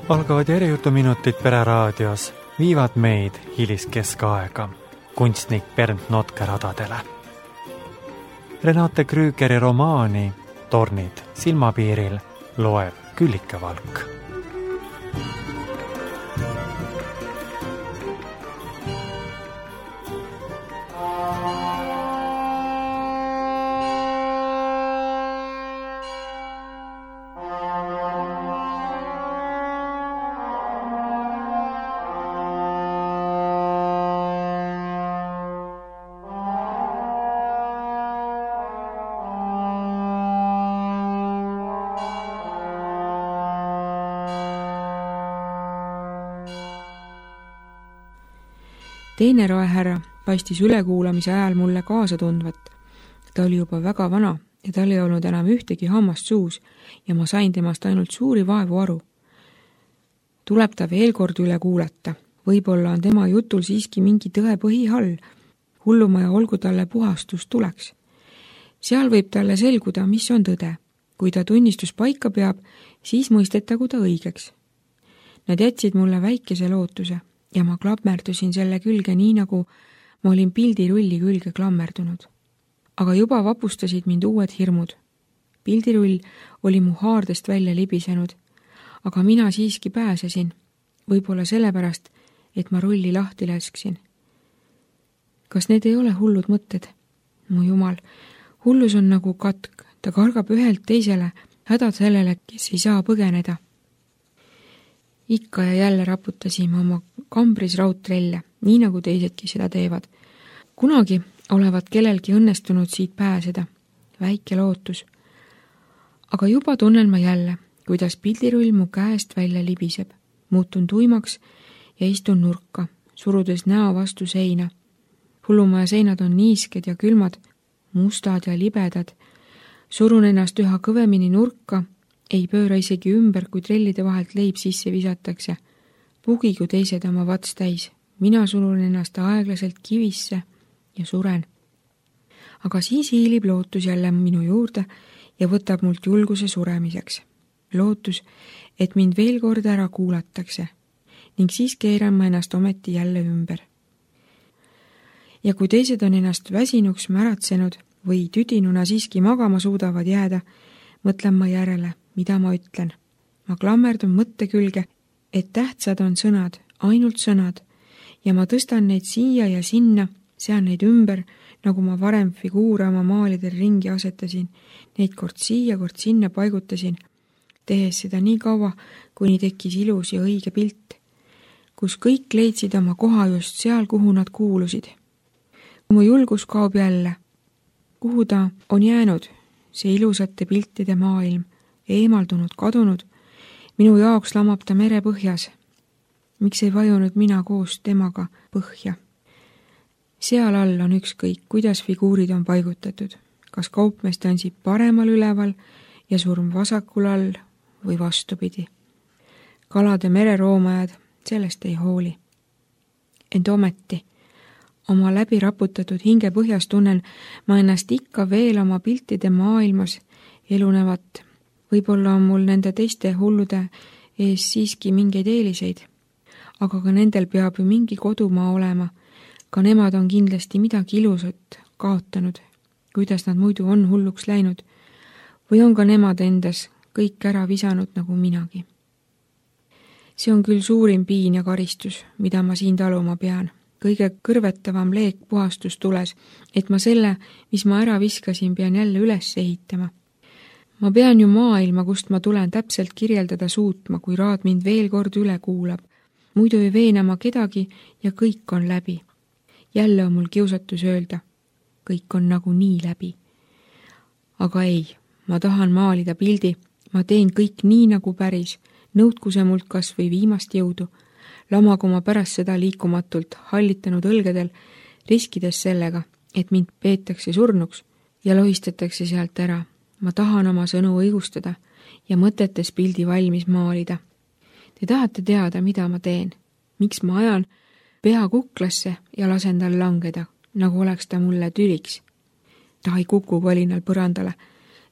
Algavad järjutuminutid Pereraadios viivad meid hiliskeskaega kunstnik Bernd Notke radadele. Renate Krügeri romaani Tornid silmapiiril loeb Küllike Valk. Teine roehärra paistis ülekuulamise ajal mulle kaasa tundvat. Ta oli juba väga vana ja tal ei olnud enam ühtegi hammast suus ja ma sain temast ainult suuri vaevu aru. Tuleb ta veel kord üle kuulata. Võib-olla on tema jutul siiski mingi tõe põhihall. Hullumaja olgu talle puhastus tuleks. Seal võib talle selguda, mis on tõde. Kui ta tunnistus paika peab, siis mõistetagu ta õigeks. Nad jätsid mulle väikese lootuse ja ma klammerdusin selle külge nii, nagu ma olin pildirulli külge klammerdunud. Aga juba vapustasid mind uued hirmud. Pildirull oli mu haardest välja libisenud, aga mina siiski pääsesin, võib-olla sellepärast, et ma rulli lahti lasksin. Kas need ei ole hullud mõtted? Mu jumal, hullus on nagu katk, ta kargab ühelt teisele, hädad sellele, kes ei saa põgeneda. Ikka ja jälle raputasime oma kambris raudtrelle, nii nagu teisedki seda teevad. Kunagi olevat kellelgi õnnestunud siit pääseda. Väike lootus. Aga juba tunnen ma jälle, kuidas pildirull mu käest välja libiseb. Muutun tuimaks ja istun nurka, surudes näo vastu seina. Hullumaja seinad on niisked ja külmad, mustad ja libedad. Surun ennast üha kõvemini nurka, ei pööra isegi ümber, kui trellide vahelt leib sisse visatakse. Pugigu teised oma vats täis. Mina surun ennast aeglaselt kivisse ja suren. Aga siis hiilib lootus jälle minu juurde ja võtab mult julguse suremiseks. Lootus, et mind veel kord ära kuulatakse ning siis keeran ma ennast ometi jälle ümber. Ja kui teised on ennast väsinuks märatsenud või tüdinuna siiski magama suudavad jääda, mõtlen ma järele, mida ma ütlen. Ma klammerdun mõtte külge, et tähtsad on sõnad, ainult sõnad, ja ma tõstan neid siia ja sinna, sean neid ümber, nagu ma varem figuure oma maalidel ringi asetasin, neid kord siia, kord sinna paigutasin, tehes seda nii kaua, kuni tekkis ilus ja õige pilt, kus kõik leidsid oma koha just seal, kuhu nad kuulusid. Mu julgus kaob jälle. Kuhu ta on jäänud, see ilusate piltide maailm, eemaldunud, kadunud, minu jaoks lamab ta mere põhjas. Miks ei vajunud mina koos temaga põhja? Seal all on ükskõik, kuidas figuurid on paigutatud. Kas kaupmees tantsib paremal üleval ja surm vasakul all või vastupidi. Kalade mereroomajad sellest ei hooli. Ent ometi, oma läbi raputatud hinge põhjas tunnen ma ennast ikka veel oma piltide maailmas elunevat. Võib-olla on mul nende teiste hullude ees siiski mingeid eeliseid, aga ka nendel peab ju mingi kodumaa olema. Ka nemad on kindlasti midagi ilusat kaotanud, kuidas nad muidu on hulluks läinud, või on ka nemad endas kõik ära visanud nagu minagi. See on küll suurim piin ja karistus, mida ma siin taluma pean. Kõige kõrvetavam leek puhastus tules, et ma selle, mis ma ära viskasin, pean jälle üles ehitama. Ma pean ju maailma, kust ma tulen täpselt kirjeldada suutma, kui raad mind veel kord üle kuulab. Muidu ei veena ma kedagi ja kõik on läbi. Jälle on mul kiusatus öelda, kõik on nagu nii läbi. Aga ei, ma tahan maalida pildi, ma teen kõik nii nagu päris, nõudku see mult kas või viimast jõudu, lamagu ma pärast seda liikumatult hallitanud õlgedel, riskides sellega, et mind peetakse surnuks ja lohistatakse sealt ära. Ma tahan oma sõnu õigustada ja mõtetes pildi valmis maalida. Te tahate teada, mida ma teen, miks ma ajan pea kuklasse ja lasen tal langeda, nagu oleks ta mulle tüliks. Ta ei kuku kolinal põrandale.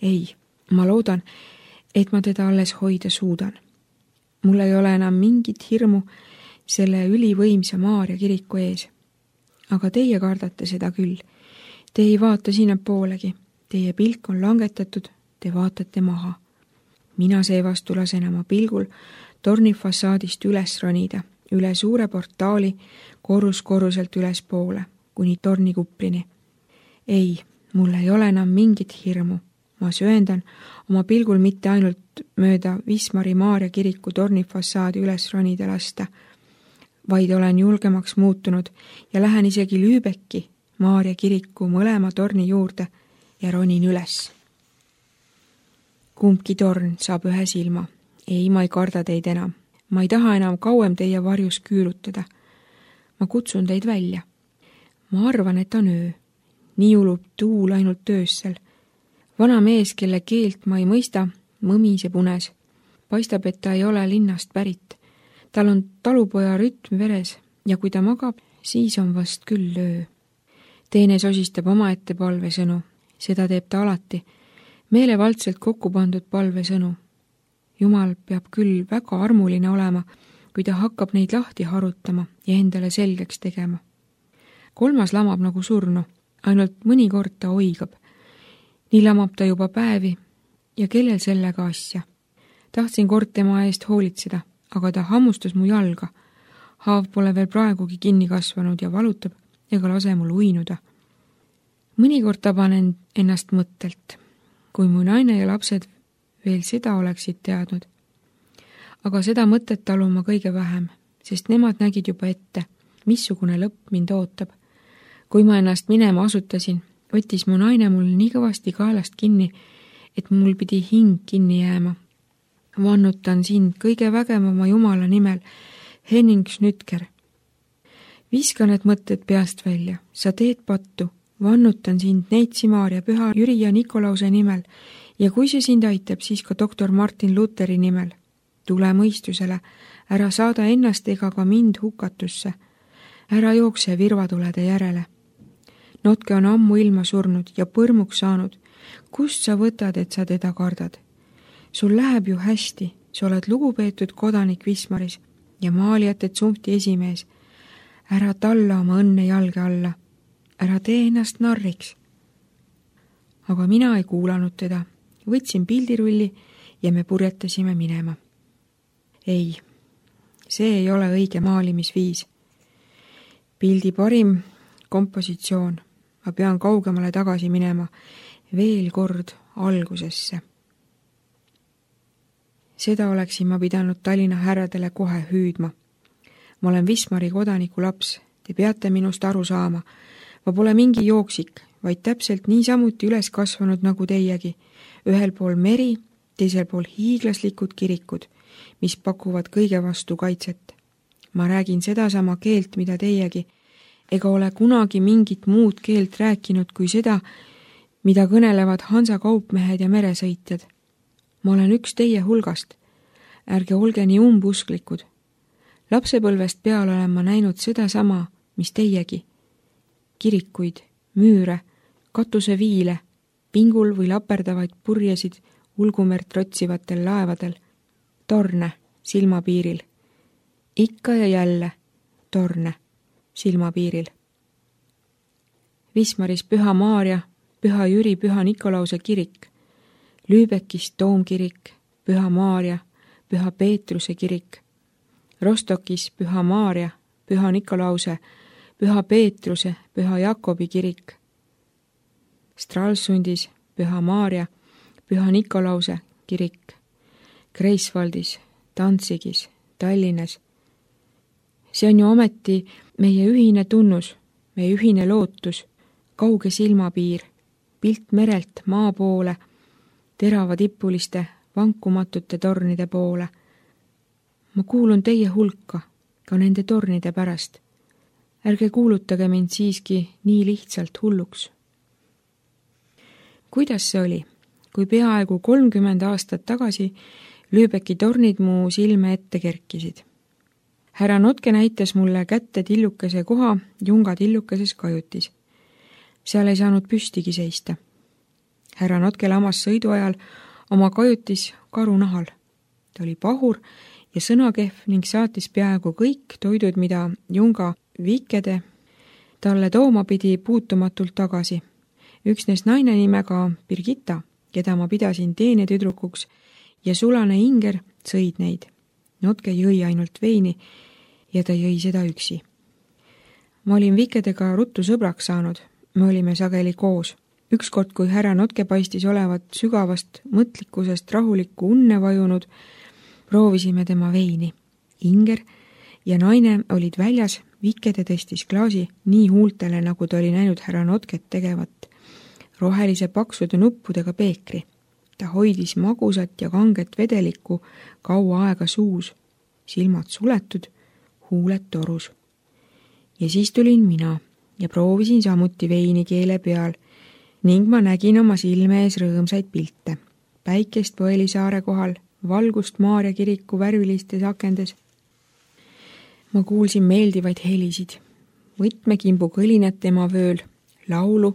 Ei, ma loodan, et ma teda alles hoida suudan. mul ei ole enam mingit hirmu selle ülivõimsa Maarja kiriku ees. Aga teie kardate seda küll. Te ei vaata sinnapoolegi. Teie pilk on langetatud, te vaatate maha. Mina seevastu lasen oma pilgul torni fassaadist üles ronida, üle suure portaali korruselt ülespoole, kuni tornikuprini. Ei, mul ei ole enam mingit hirmu. Ma sööndan oma pilgul mitte ainult mööda Wismari Maarja kiriku torni fassaadi üles ronida lasta, vaid olen julgemaks muutunud ja lähen isegi Lübecki Maarja kiriku mõlema torni juurde ja ronin üles. Kumbki torn saab ühe silma. Ei, ma ei karda teid enam. Ma ei taha enam kauem teie varjus küürutada. Ma kutsun teid välja. Ma arvan, et on öö. Nii ulub tuul ainult öössel. Vana mees, kelle keelt ma ei mõista, mõmiseb unes. Paistab, et ta ei ole linnast pärit. Tal on talupoja rütm veres ja kui ta magab, siis on vast küll öö. Teine sosistab omaette palvesõnu. Seda teeb ta alati. Meelevaldselt kokku pandud palvesõnu. Jumal peab küll väga armuline olema, kui ta hakkab neid lahti harutama ja endale selgeks tegema. Kolmas lamab nagu surnu, ainult mõnikord ta oigab. Nii lamab ta juba päevi ja kellel sellega asja. Tahtsin kord tema eest hoolitseda, aga ta hammustas mu jalga. Haav pole veel praegugi kinni kasvanud ja valutab ega lase mul uinuda. Mõnikord taban ennast mõttelt, kui mu naine ja lapsed veel seda oleksid teadnud. Aga seda mõtet talun ma kõige vähem, sest nemad nägid juba ette, missugune lõpp mind ootab. Kui ma ennast minema asutasin, võttis mu naine mul nii kõvasti kaelast kinni, et mul pidi hing kinni jääma. Vannutan sind kõige vägevama Jumala nimel, Henning Schnütker. Viska need mõtted peast välja, sa teed pattu. Vannutan sind Neitsi Maarja, Püha Jüri ja Nikolause nimel ja kui see sind aitab, siis ka doktor Martin Lutheri nimel. Tule mõistusele, ära saada ennast ega ka mind hukatusse. Ära jookse virvatulede järele. Notke on ammu ilma surnud ja põrmuks saanud. Kust sa võtad, et sa teda kardad? Sul läheb ju hästi, sa oled lugupeetud kodanik Wismaris ja maalijate tsumpti esimees. Ära talla oma õnne jalge alla. Ära tee ennast narriks. Aga mina ei kuulanud teda. Võtsin pildirulli ja me purjetasime minema. Ei, see ei ole õige maalimisviis. Pildi parim kompositsioon. Ma pean kaugemale tagasi minema. Veel kord algusesse. Seda oleksin ma pidanud Tallinna härradele kohe hüüdma. Ma olen Wismari kodaniku laps. Te peate minust aru saama. Ma pole mingi jooksik, vaid täpselt niisamuti üles kasvanud nagu teiegi. Ühel pool meri, teisel pool hiiglaslikud kirikud, mis pakuvad kõige vastu kaitset. Ma räägin sedasama keelt, mida teiegi, ega ole kunagi mingit muud keelt rääkinud kui seda, mida kõnelevad Hansa kaupmehed ja meresõitjad. Ma olen üks teie hulgast. Ärge olge nii umbusklikud. Lapsepõlvest peale olen ma näinud sedasama, mis teiegi. Kirikuid, müüre, katuseviile, pingul või laperdavaid purjesid ulgumert rotsivatel laevadel, torne silmapiiril. Ikka ja jälle torne silmapiiril. Wismaris Püha Maarja, Püha Jüri, Püha Nikolause kirik, Lübeckis Toomkirik, Püha Maarja, Püha Peetruse kirik, Rostokis Püha Maarja, Püha Nikolause, Püha Peetruse, Püha Jakobi kirik, Stralsundis Püha Maarja, Püha Nikolause kirik, Greifswaldis, Danzigis, Tallinnas. See on ju ometi meie ühine tunnus, meie ühine lootus, kauge silmapiir, pilt merelt maa poole, terava tippuliste, vankumatute tornide poole. Ma kuulun teie hulka, ka nende tornide pärast. Ärge kuulutage mind siiski nii lihtsalt hulluks. Kuidas see oli, kui peaaegu 30 aastat tagasi Lübecki tornid mu silme ette kerkisid? Härra Notke näitas mulle kätte tillukese koha Junga tillukeses kajutis. Seal ei saanud püstigi seista. Härra Notke lamas sõidu ajal oma kajutis karunahal. Ta oli pahur ja sõnakehv ning saatis peaaegu kõik toidud, mida Junga Vikede talle tooma pidi, puutumatult tagasi. Üksnes naine nimega Birgitta, keda ma pidasin teenetüdrukuks, ja sulane Inger sõid neid. Notke jõi ainult veini ja ta jõi seda üksi. Ma olin Vikedega ruttu sõbraks saanud, me olime sageli koos. Ükskord, kui härra Notke paistis olevat sügavast mõtlikkusest rahulikku unne vajunud, proovisime tema veini. Inger ja naine olid väljas, Vikede tõstis klaasi nii huultele, nagu ta oli näinud härra Notket tegevat, rohelise paksude nuppudega peekri. Ta hoidis magusat ja kanget vedelikku kaua aega suus, silmad suletud, huuled torus. Ja siis tulin mina ja proovisin samuti veini keele peal ning ma nägin oma silme ees rõõmsaid pilte. Päikest Põelisaare kohal, valgust Maarja kiriku värvilistes akendes. Ma kuulsin meeldivaid helisid, võtmekimbu kõlinat tema vööl, laulu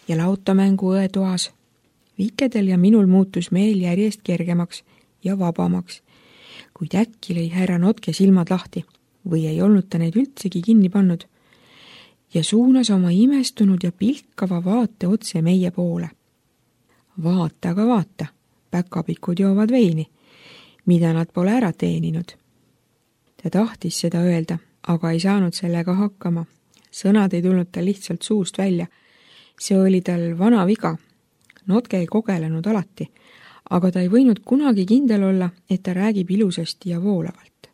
ja lautamängu õetoas. Vikedel ja minul muutus meel järjest kergemaks ja vabamaks, kuid äkki lõi härra Notke silmad lahti või ei olnud ta neid üldsegi kinni pannud ja suunas oma imestunud ja pilkava vaate otse meie poole. Vaata, aga vaata, päkapikud joovad veini, mida nad pole ära teeninud. Ta tahtis seda öelda, aga ei saanud sellega hakkama. Sõnad ei tulnud tal lihtsalt suust välja. See oli tal vana viga. Notke ei kogelenud alati, aga ta ei võinud kunagi kindel olla, et ta räägib ilusasti ja voolavalt.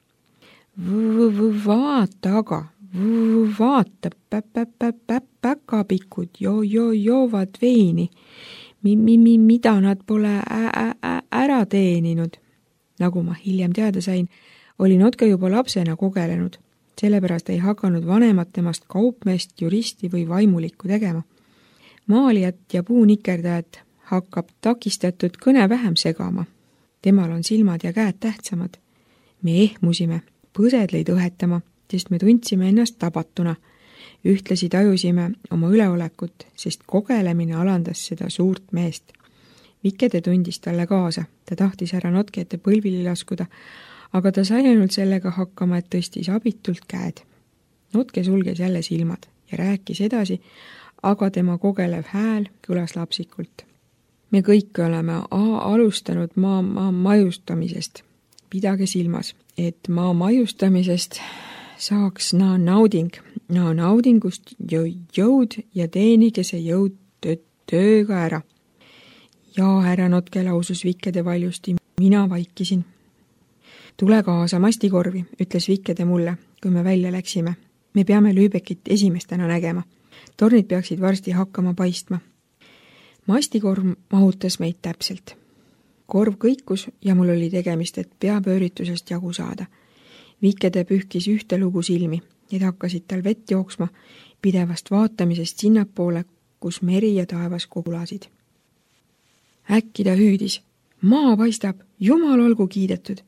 Vaata aga, vaata, päkapikud joovad veini, mida nad pole ära teeninud. Nagu ma hiljem teada sain, oli Notke juba lapsena kogelenud, sellepärast ei hakanud vanemad temast kaupmeest, juristi või vaimulikku tegema. Maalijat ja puunikerdajat hakkab takistatud kõne vähem segama. Temal on silmad ja käed tähtsamad. Me ehmusime, põsed lõid õhetama, sest me tundsime ennast tabatuna. Ühtlasi tajusime oma üleolekut, sest kogelemine alandas seda suurt meest. Vikede tundis talle kaasa, ta tahtis härra Notke ette põlvili laskuda, aga ta sai ainult sellega hakkama, et tõstis abitult käed. Notke sulges jälle silmad ja rääkis edasi, aga tema kogelev hääl kõlas lapsikult. Me kõik oleme alustanud maa maiustamisest. Pidage silmas, et maa maiustamisest saaks naudingust jõud ja teenige see jõud tööga ära. Ja härra Notke lausus Vikede valjusti, mina vaikisin. Tule kaasa mastikorvi, ütles Vikede mulle, kui me välja läksime. Me peame Lübeckit esimestena nägema. Tornid peaksid varsti hakkama paistma. Mastikorv mahutas meid täpselt. Korv kõikus ja mul oli tegemist, et peapööritusest jagu saada. Vikede pühkis ühte lugu silmi, need hakkasid tal vett jooksma, pidevast vaatamisest sinnapoole, kus meri ja taevas kogulasid. Äkki ta hüüdis, maa paistab, jumal olgu kiidetud.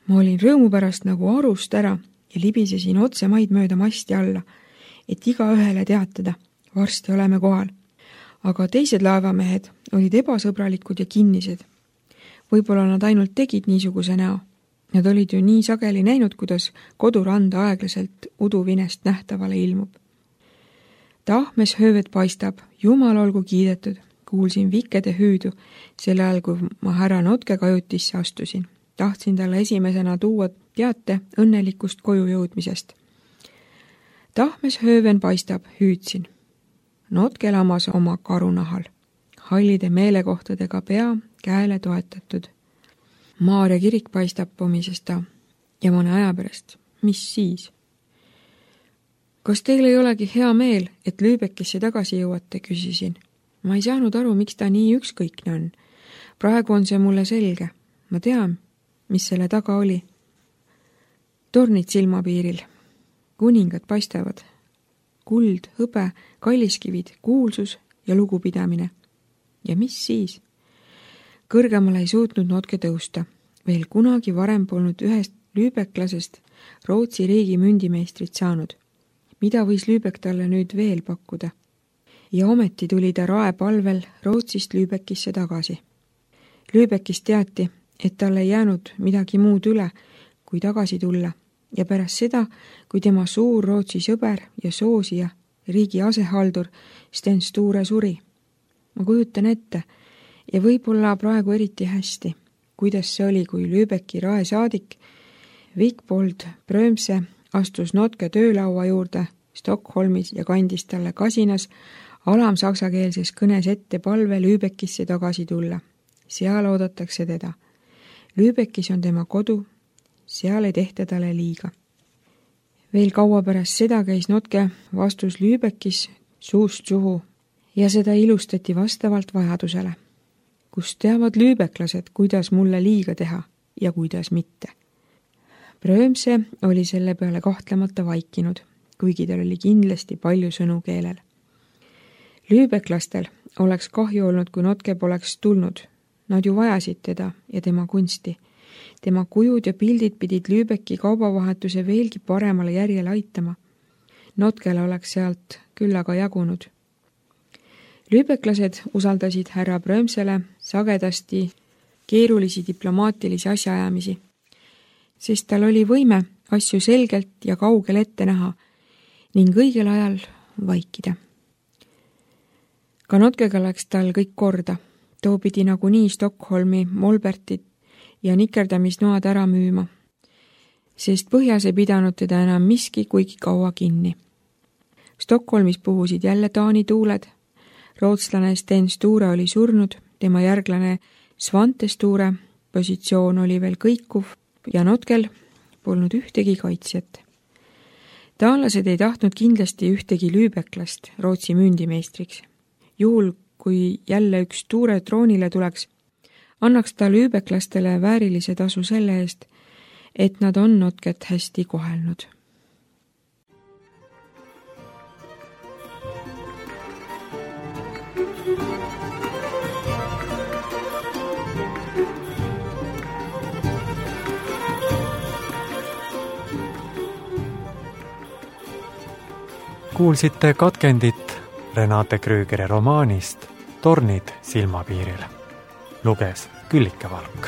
Ma olin rõõmu pärast nagu arust ära ja libisesin otse maid mööda masti alla, et igaühele teatada, varsti oleme kohal. Aga teised laevamehed olid ebasõbralikud ja kinnised. Võib-olla nad ainult tegid niisuguse näo. Nad olid ju nii sageli näinud, kuidas koduranda aeglaselt uduvinest nähtavale ilmub. Tahmes höövet paistab, jumal olgu kiidetud, kuulsin Vikede hüüdu, selle ajal, kui ma härra Notke kajutisse astusin. Tahtsin talle esimesena tuua teate õnnelikust koju jõudmisest. Tahmes hööven paistab, hüüdsin. Notke lamas oma karunahal, hallide meelekohtadega pea käele toetatud. Maarja kirik paistab pomisest ta ja mõne aja pärast. Mis siis? Kas teil ei olegi hea meel, et Lübeckisse tagasi jõuate, küsisin. Ma ei saanud aru, miks ta nii ükskõikne on. Praegu on see mulle selge. Ma tean, mis selle taga oli. Tornid silmapiiril. Kuningad paistavad. Kuld, hõbe, kalliskivid, kuulsus ja lugupidamine. Ja mis siis? Kõrgemale ei suutnud Notke tõusta. Veel kunagi varem polnud ühest lübecklasest Rootsi riigi mündimeistrit saanud. Mida võis Lübeck talle nüüd veel pakkuda? Ja ometi tuli ta raepalvel Rootsist Lübeckisse tagasi. Lübeckist teati, et talle ei jäänud midagi muud üle, kui tagasi tulla ja pärast seda, kui tema suur Rootsi sõber ja soosija, riigi asehaldur Sten Sture suri. Ma kujutan ette ja võib-olla praegu eriti hästi, kuidas see oli, kui Lübecki raesaadik Wigbold Brömse astus Notke töölaua juurde Stockholmis ja kandis talle kasinas alamsaksakeelses kõnes ette palve Lübeckisse tagasi tulla. Seal oodatakse teda. Lübeckis on tema kodu, seal ei tehta talle liiga. Veel kaua pärast seda käis Notke vastus Lübeckis suust suhu ja seda ilustati vastavalt vajadusele. Kus teavad lüübeklased, kuidas mulle liiga teha ja kuidas mitte. Brömse oli selle peale kahtlemata vaikinud, kuigi tal oli kindlasti palju sõnu keelel. Lüübeklastel oleks kahju olnud, kui Notke poleks tulnud. Nad ju vajasid teda ja tema kunsti. Tema kujud ja pildid pidid Lübecki kaubavahetuse veelgi paremale järjele aitama. Notkele oleks sealt küll aga jagunud. Lübeklased usaldasid härra Brömsele sagedasti keerulisi diplomaatilisi asjaajamisi, sest tal oli võime asju selgelt ja kaugel ette näha ning õigel ajal vaikida. Ka Notkega läks tal kõik korda. Too pidi nagunii Stockholmi Molbertit ja nikerdamisnoad ära müüma, sest põhjas ei pidanud teda enam miski kuigi kaua kinni. Stockholmis puhusid jälle Taani tuuled. Rootslane Sten Sture oli surnud, tema järglane Svante Sture positsioon oli veel kõikuv ja Notkel polnud ühtegi kaitsjat. Taanlased ei tahtnud kindlasti ühtegi lüübeklast Rootsi mündimeistriks. Juhul, kui jälle üks Sture troonile tuleks, annaks ta lüübeklastele väärilise tasu selle eest, et nad on Notket hästi kohelnud. Kuulsite katkendit Renate Krügeri romaanist Tornid silmapiiril. Luges Küllike Valk.